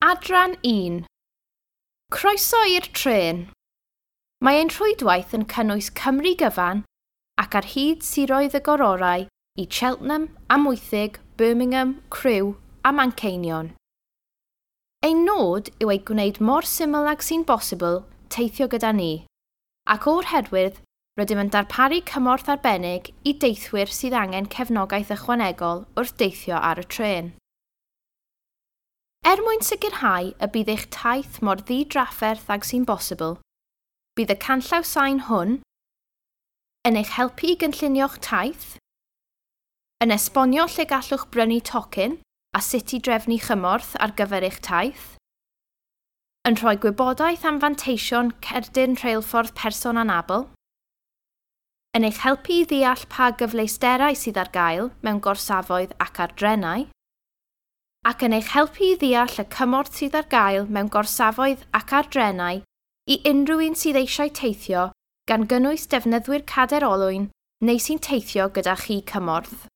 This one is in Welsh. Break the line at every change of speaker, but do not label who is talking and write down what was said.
Adran 1. Croeso i'r trên. Mae ein rhwydwaith yn cynnwys Cymru gyfan ac ar hyd siroedd y gororau i Cheltenham, Amwythig, Birmingham, Crewe a Manceinion. Ein nod yw ei gwneud mor syml ag sy'n bosibl teithio gyda ni, ac o'r herwydd rydym yn darparu cymorth arbennig i deithwyr sydd angen cefnogaeth ychwanegol wrth deithio ar y trên. Er mwyn sicrhau y bydd eich taith mor ddidrafferth ag sy'n bosibl, bydd y canllaw sain hwn yn eich helpu i gynllunio'ch taith, yn esbonio lle gallwch brynu tocyn a sut i drefnu chymorth ar gyfer eich taith, yn rhoi gwybodaeth am fanteision cerdyn rheilffordd person anabl, yn eich helpu i ddeall pa gyfleusterau sydd ar gael mewn gorsafoedd ac ar drenau, ac yn eich helpu i ddeall y cymorth sydd ar gael mewn gorsafoedd ac ar drenau i unrhyw un sydd eisiau teithio, gan gynnwys defnyddwyr cadair olwyn neu sy'n teithio gyda chi cymorth.